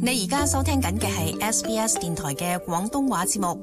你而家收聽緊嘅係 SBS 電台嘅廣東話節目。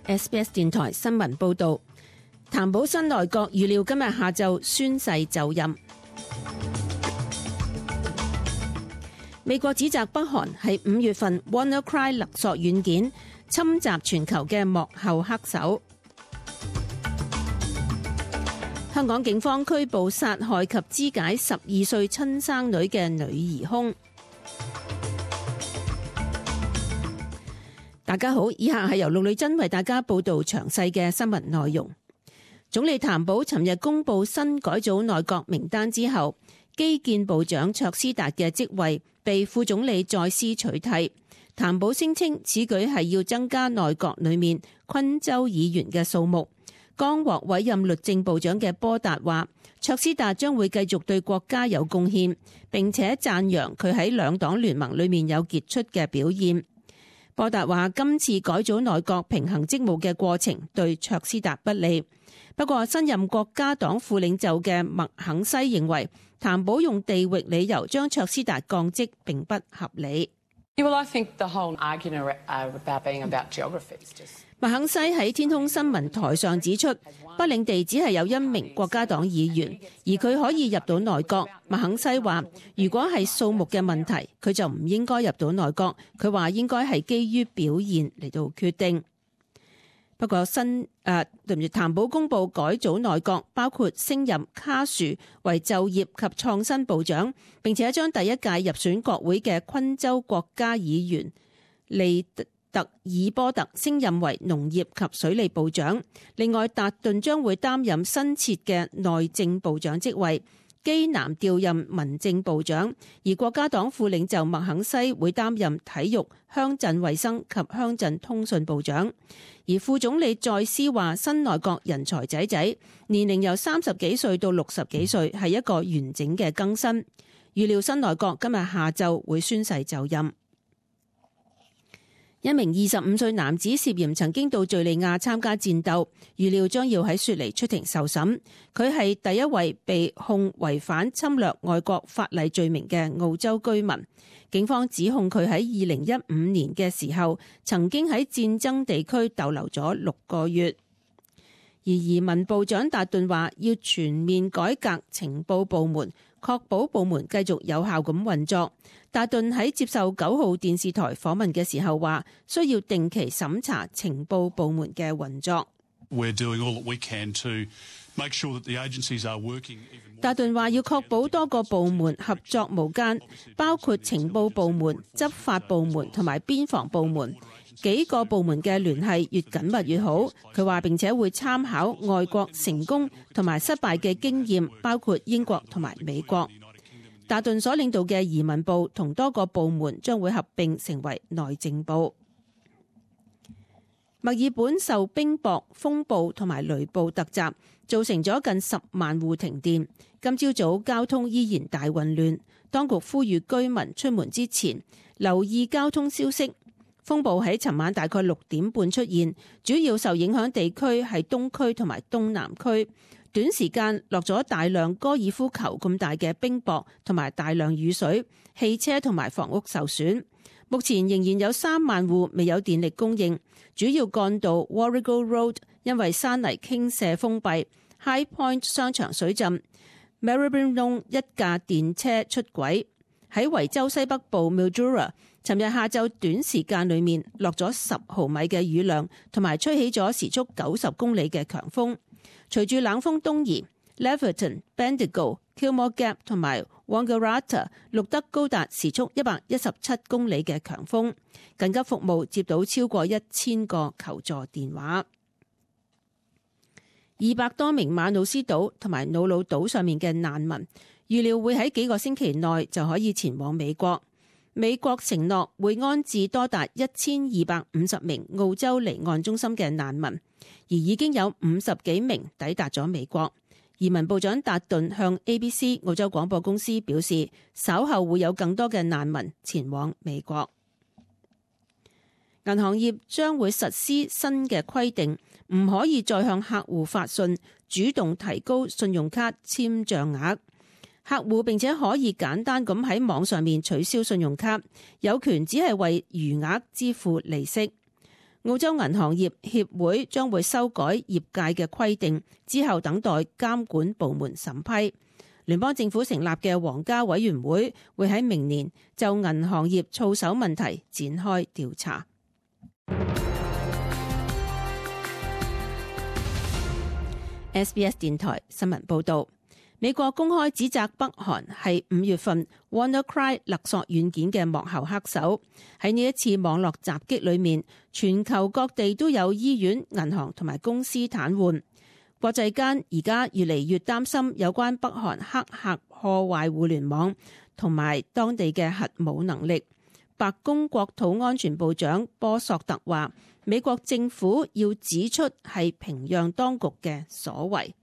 SBS 電台新聞報道，譚寶新內閣預料今日下晝宣誓就任。美國指責北韓係5月份 WannaCry 勒索軟件侵襲全球嘅幕後黑手。香港警方拘捕殺害及肢解12歲親生女嘅女疑兇。大家好，以下係由陸女珍為大家報道詳細嘅新聞內容。總理譚寶尋日公布新改組內閣名單之後，基建部長卓斯達嘅職位被副總理再斯取替。譚寶聲稱此舉係要增加內閣裏面昆州議員嘅數目。剛獲委任律政部長嘅波達話，卓斯達將會繼續對國家有貢獻，並且讚揚佢喺兩黨聯盟裏面有傑出嘅表現。波達話今次改組內閣平衡職務嘅過程對卓斯達不利。不過新任國家黨副領袖嘅麥肯西認為，譚寶用地域理由將卓斯達降職並不合理。麥肯西喺天空新聞台上指出，北領地只係有1名國家黨議員，而佢可以入到內閣。麥肯西話，如果係數目嘅問題，佢就唔應該入到內閣。佢話應該係基於表現嚟到決定。不過譚寶公布改組內閣，包括升任卡殊為就業及創新部長，並且將第一屆入選國會嘅昆州國家議員利特爾波特升任為農業及水利部長。另外，達頓將會擔任新設嘅內政部長職位，基南調任民政部長，而國家黨副領袖麥肯西會擔任體育、鄉鎮衛生及鄉鎮通訊部長。而副總理再斯話，新內閣人才濟濟，年齡由30幾歲到60幾歲，係一個完整嘅更新。預料新內閣今日下晝會宣誓就任。一名25歲男子涉嫌曾經到敘利亞參加戰鬥，預料將要喺雪梨出庭受審。佢係第一位被控違反侵略外國法例罪名嘅澳洲居民。警方指控佢喺2015年嘅時候曾經喺戰爭地區逗留咗6個月。而移民部長達頓話要全面改革情報部門，確保部門繼續有效咁運作。達頓喺接受9號電視台訪問嘅時候話，需要定期審查情報部門嘅運作。達頓話要確保多個部門合作無間，包括情報部門、執法部門同埋邊防部門。幾個部門嘅聯繫越緊密越好。佢話並且會參考外國成功同埋失敗嘅經驗，包括英國同埋美國。達頓所領導嘅移民部同多個部門將會合併成為內政部。墨爾本受冰雹、風暴同埋雷暴突襲，造成咗近10萬戶停電。今朝早交通依然大混亂，當局呼籲居民出門之前留意交通消息。風暴喺尋晚大概6點半出現，主要受影響地區係東區同埋東南區。短時間落咗大量高爾夫球咁大嘅冰雹同埋大量雨水，汽車同埋房屋受損。目前仍然有3萬戶未有電力供應，主要幹道 Warrego Road 因為山泥傾瀉封閉， High Point 商場水浸， Maribyrnong 一架電車出軌。喺維州西北部 Mildura， 尋日下晝短時間裏面落咗10毫米嘅雨量，同埋吹起咗時速90公里嘅強風。隨住冷風東移， Leverton、Bendigo、Kilmore Gap 同埋 Wangaratta 錄得高達時速117公里嘅強風，緊急服務接到超過1000個求助電話。200多名馬努斯島同埋瑙魯島上面嘅難民，預料會喺幾個星期內就可以前往美國。美國承諾會安置多達1250名澳洲離岸中心嘅難民，而已經有50幾名抵達咗美國。移民部長達頓向 ABC 澳洲廣播公司表示，稍後會有更多嘅難民前往美國。銀行業將會實施新嘅規定，唔可以再向客戶發信主動提高信用卡簽賬額。客戶並且可以簡單咁喺網上面取消信用卡，有權只係為餘額支付利息。澳洲銀行業協會將會修改業界嘅規定，之後等待監管部門審批。聯邦政府成立嘅皇家委員會會喺明年就銀行業操守問題展開調查。SBS 電台新聞報道，美國公開指責北韓係5月份 WannaCry 勒索軟件嘅幕後黑手。喺呢一次網絡襲擊裏面，全球各地都有醫院、銀行同埋公司癱瘓。國際間而家越嚟越擔心有關北韓黑客破壞互聯網同埋當地嘅核武能力。白宮國土安全部長波索特話，美國政府要指出係平壤當局嘅所為。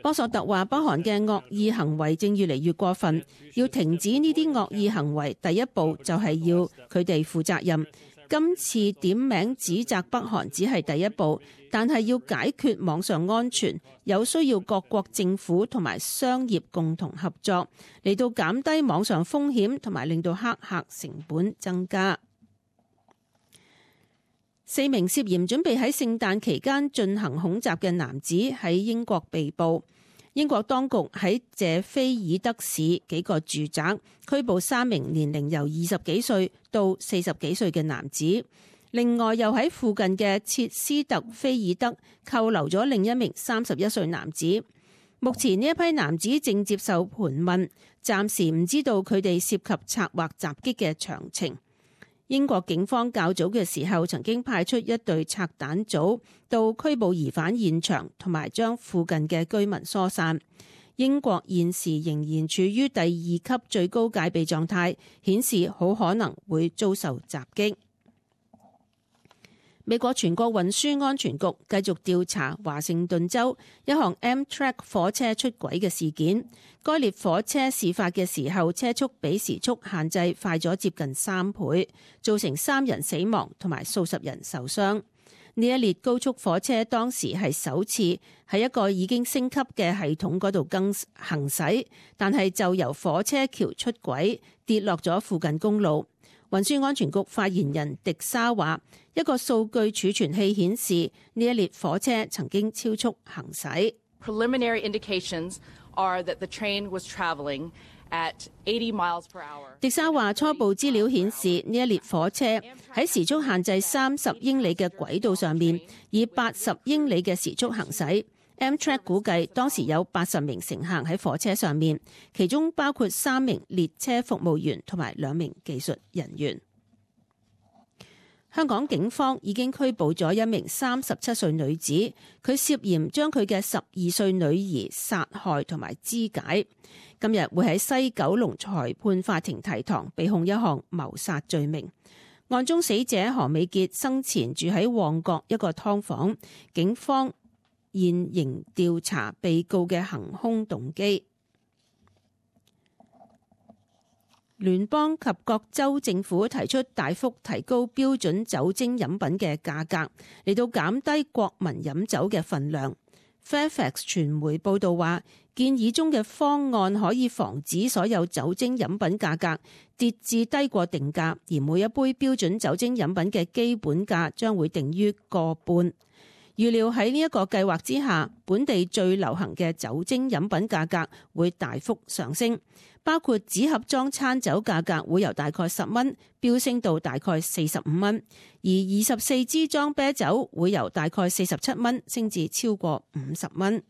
波索特話，北韓嘅惡意行為正越嚟越過分，要停止呢啲惡意行為，第一步就係要佢哋負責任。今次點名指責北韓只係第一步，但係要解決網上安全，有需要各國政府同埋商業共同合作，嚟到減低網上風險同埋令到黑客成本增加。4名涉嫌準備喺聖誕期間進行恐襲嘅男子喺英國被捕。英國當局喺謝菲爾德市幾個住宅拘捕3名年齡由20幾歲到40幾歲嘅男子，另外又喺附近嘅切斯特菲爾德扣留咗另一名31歲男子。目前呢一批男子正接受盤問，暫時唔知道佢哋涉及策劃襲擊嘅詳情。英國警方較早嘅時候曾經派出一隊拆彈組到拘捕疑犯現場，同埋將附近嘅居民疏散。英國現時仍然處於第2級最高戒備狀態，顯示好可能會遭受襲擊。美國全國運輸安全局繼續調查華盛頓州一項 Amtrak 火車出軌嘅事件。該列火車事發嘅時候，車速比時速限制快咗接近3倍，造成3人死亡同埋數十人受傷。呢一列高速火車當時係首次喺一個已經升級嘅系統嗰度行駛，但係就由火車橋出軌，跌落咗附近公路。運輸安全局發言人迪沙話，一個數據儲存器顯示呢一列火車曾經超速行駛。Preliminary indications are that the train was traveling at 80 miles per hour. 迪沙話，初步資料顯示呢一列火車喺時速限制30英里嘅軌道上面，以80英里嘅時速行駛。Amtrak 估計當時有80名乘客喺火車上面，其中包括3名列車服務員同埋2名技術人員。香港警方已經拘捕咗一名37歲女子，佢涉嫌將佢嘅12歲女兒殺害同埋肢解。今日會喺西九龍裁判法庭提堂，被控一項謀殺罪名。案中死者何美傑生前住喺旺角一個劏房，警方現仍調查被告嘅行兇動機。聯邦及各州政府提出大幅提高標準酒精飲品嘅價格，嚟到減低國民飲酒嘅份量。Fairfax 傳媒報道話，建議中嘅方案可以防止所有酒精飲品價格跌至低過定價，而每一杯標準酒精飲品嘅基本價將會定於個半。預料喺呢一個計劃之下，本地最流行嘅酒精飲品價格會大幅上升，包括紙盒裝餐酒價格會由大概10蚊飆升到大概45蚊，而24支裝啤酒會由大概47蚊升至超過50蚊。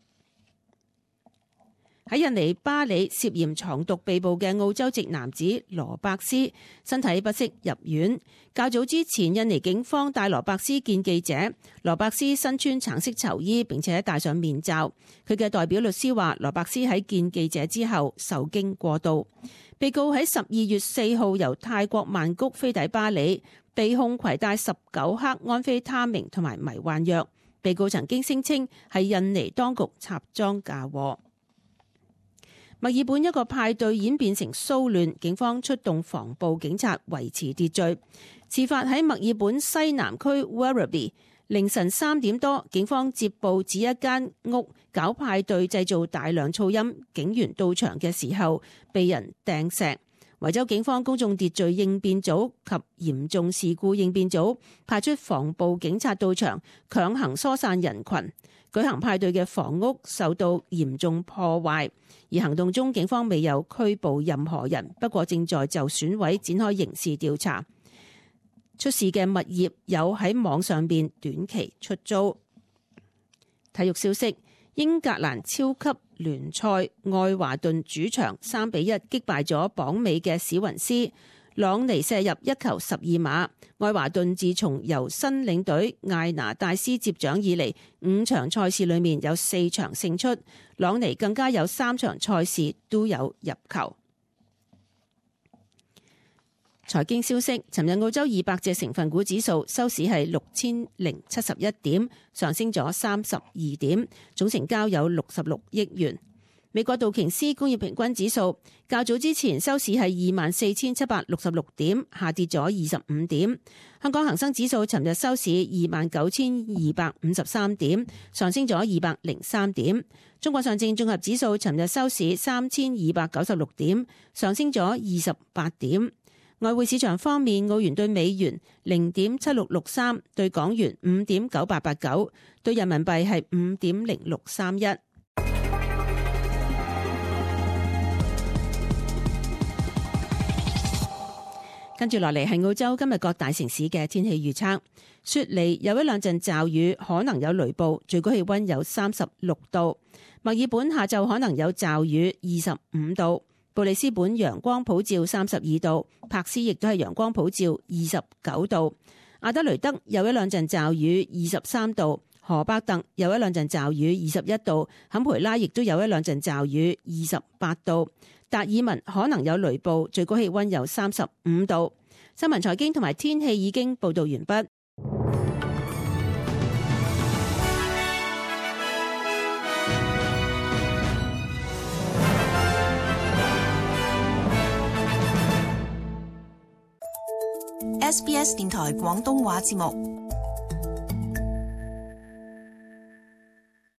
喺印尼巴里涉嫌藏毒被捕嘅澳洲籍男子羅伯斯身體不適入院。較早之前，印尼警方帶羅伯斯見記者。羅伯斯身穿橙色囚衣，並且戴上面罩。佢嘅代表律師話，羅伯斯喺見記者之後受驚過度。被告喺12月4號由泰國曼谷飛抵巴里，被控攜帶19克安非他命同埋迷幻藥。被告曾經聲稱係印尼當局插贓嫁禍。墨爾本一個派對演變成騷亂，警方出動防暴警察維持秩序。事發喺墨爾本西南區 Werribee， 凌晨3點多，警方接報指一間屋搞派對製造大量噪音，警員到場嘅時候被人掟石。維州警方公眾秩序應變組及嚴重事故應變組派出防暴警察到場，強行疏散人群。舉行派對嘅房屋受到嚴重破壞，而行動中警方未有拘捕任何人，不過正在就損毀展開刑事調查。出事嘅物業有喺網上邊短期出租。體育消息：英格蘭超級聯賽愛華頓主場3-1擊敗咗榜尾嘅史雲斯，朗尼射入1球12碼。愛華頓自從由新領隊艾拿戴斯接掌以嚟，5場賽事裏面有4場勝出，朗尼更加有3場賽事都有入球。財經消息：尋日澳洲200隻成分股指數收市係6071點，上升咗32點，總成交有66億元。美國道瓊斯工業平均指數較早之前收市係24,766點，下跌咗25點。香港恒生指數尋日收市29,253點，上升咗203點。中國上證綜合指數尋日收市3,296點，上升咗28點。外匯市場方面，澳元兌美元0.7663，兌港元5.9889，兌人民幣係5.0631。跟住落嚟係澳洲今日各大城市嘅天氣預測。雪梨有1-2陣驟雨，可能有雷暴，最高氣溫有36度。墨爾本下晝可能有驟雨，25度。布里斯本陽光普照32度，柏斯亦都係陽光普照29度。阿德雷德有1-2陣驟雨23度，荷伯特有1-2陣驟雨21度，坎培拉亦都有1-2陣驟雨28度。達爾文可能有雷暴，最高氣溫有35度。新聞財經同埋天氣已經報道完畢。SBS 電台廣東話節目。